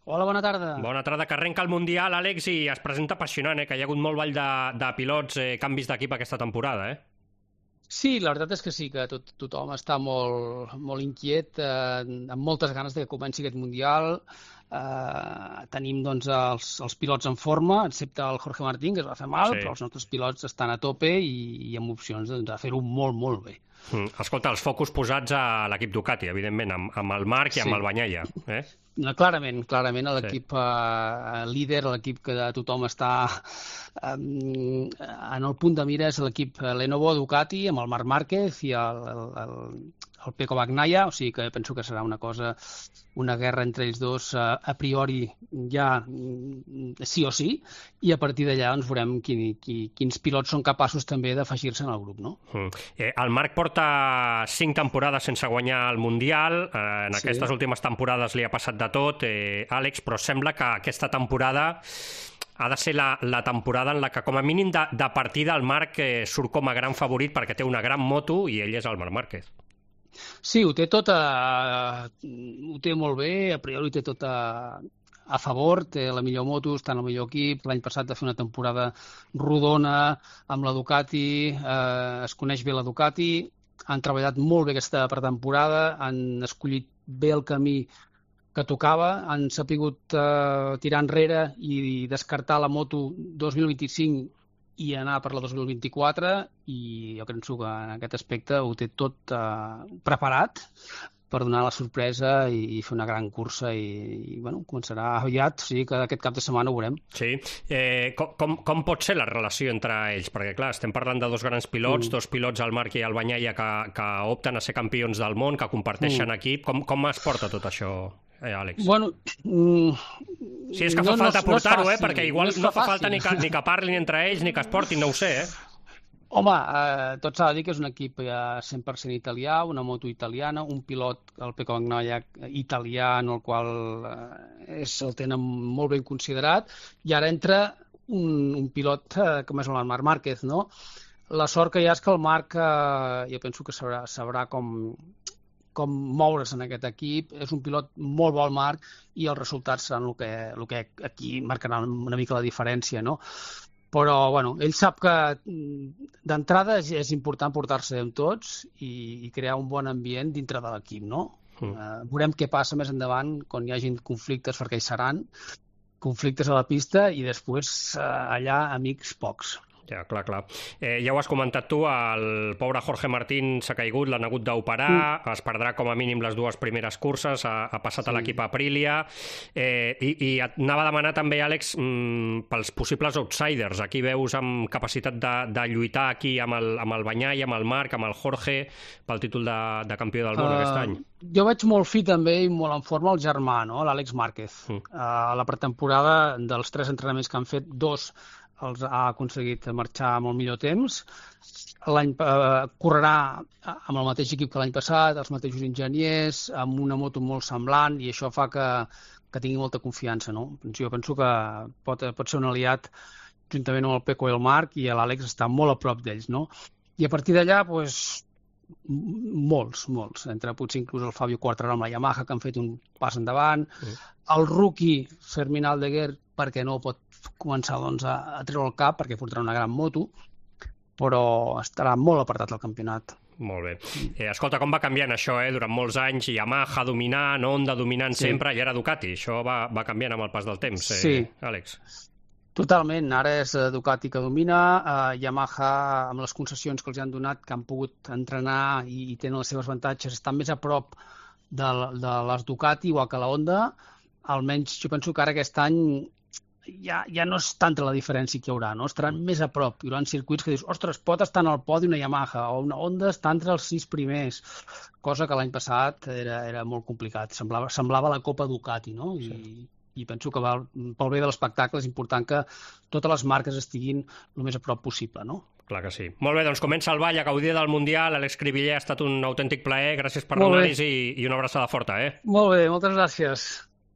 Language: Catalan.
Hola, bona tarda. Bona tarda, que arrenca el Mundial, Àlex, i es presenta apassionant, que hi ha hagut molt ball de pilots, canvis d'equip aquesta temporada, Sí, la veritat és que sí, que tothom està molt inquiet, amb moltes ganes de que comenci aquest Mundial. Tenim doncs, els pilots en forma, excepte el Jorge Martín, que es va fer mal, Sí. però els nostres pilots estan a tope i amb opcions doncs, de fer-ho molt, molt bé. Escolta, els focus posats a l'equip Ducati, evidentment, amb el Marc i amb Sí. el Bagnaia. No, clarament, l'equip líder, l'equip que tothom està en el punt de mira és l'equip Lenovo Ducati amb el Marc Márquez i el Pecco Bagnaia, o sigui que penso que serà una guerra entre ells dos a priori ja sí o sí, i a partir d'allà doncs, veurem quins pilots són capaços també d'afegir-se en el grup, no? El Marc porta 5 temporades sense guanyar el Mundial, en aquestes últimes temporades li ha passat de tot, Àlex, però sembla que aquesta temporada ha de ser la temporada en la que, com a mínim de partida, el Marc surt com a gran favorit perquè té una gran moto i ell és el Marc Márquez. Sí, ho té tot ho té molt bé, a priori ho té tot a favor, té la millor moto, està en el millor equip. L'any passat va fer una temporada rodona amb la Ducati, es coneix bé la Ducati, han treballat molt bé aquesta pretemporada, han escollit bé el camí que tocava, han sapigut tirar enrere i descartar la moto 2025 i anar per la 2024, i jo penso que en aquest aspecte ho té tot preparat per donar la sorpresa i fer una gran cursa i bueno, començarà aviat, o sigui que aquest cap de setmana ho veurem. Sí. Com pot ser la relació entre ells? Perquè, clar, estem parlant de dos grans pilots, dos pilots, el Marc i el Bagnaia, que opten a ser campions del món, que comparteixen equip. Com es porta tot això, Àlex? Bueno, si és que fa falta portar-ho, perquè igual no fa falta ni que parlin entre ells ni que es portin, no ho sé, Home, tot s'ha de dir que és un equip 100% italià, una moto italiana, un pilot, el Pecco Bagnaia, italià, en el qual el tenen molt ben considerat, i ara entra un pilot com és el Marc Márquez, no? La sort que hi ha és que el Marc, jo penso que sabrà com moure's en aquest equip. És un pilot molt bo, el Marc, i els resultats seran el que aquí marcaran una mica la diferència, no? Però, bueno, ell sap que d'entrada és important portar-se amb tots i crear un bon ambient dintre de l'equip, no? Veurem què passa més endavant quan hi hagin conflictes, perquè hi seran conflictes a la pista, i després allà amics pocs. Ja, clar. Ja ho has comentat tu, el pobre Jorge Martín s'ha caigut, l'han hagut d'operar, es perdrà com a mínim les dues primeres curses, ha passat a l'equip Aprilia, i et anava a demanar també, Àlex, pels possibles outsiders. Aquí veus amb capacitat de lluitar aquí amb el Bagnaia, amb el Marc, amb el Jorge, pel títol de campió del món aquest any. Jo veig molt fi també i molt en forma el germà, no? L'Àlex Márquez. A la pretemporada, dels 3 entrenaments que han fet, 2 els ha aconseguit marxar amb el millor temps. Correrà amb el mateix equip que l'any passat, els mateixos enginyers, amb una moto molt semblant, i això fa que tingui molta confiança, no? Jo penso que pot ser un aliat juntament amb el Pecco i el Marc, i l'Àlex està molt a prop d'ells, no? I a partir d'allà, doncs, molts, potser inclús el Fabio Quartararo amb la Yamaha, que han fet un pas endavant, el rookie Fermín Aldeguer, perquè no pot començar doncs, a treure el cap, perquè portarà una gran moto, però estarà molt apartat del campionat. Molt bé. Escolta, com va canviant això, durant molts anys, Yamaha dominant, Honda dominant sempre, i ara Ducati. Això va canviant amb el pas del temps, Àlex. Totalment. Ara és Ducati que domina, Yamaha, amb les concessions que els han donat, que han pogut entrenar i tenen els seus avantatges, estan més a prop de les Ducati, igual que la Honda. Almenys jo penso que ara aquest any ja no és tanta la diferència que hi haurà, no? Estaran més a prop. Hi haurà circuits que dius, ostres, pot estar en el podi una Yamaha, o una Honda està entre els 6 primers, cosa que l'any passat era molt complicat. Semblava la Copa Ducati, no? I penso que pel bé de l'espectacle és important que totes les marques estiguin el més a prop possible, no? Clar que sí. Molt bé, doncs comença el ball a gaudir del Mundial. Àlex Cribiller, ha estat un autèntic plaer. Gràcies per l'anàlisi i una abraçada forta, Molt bé, moltes gràcies.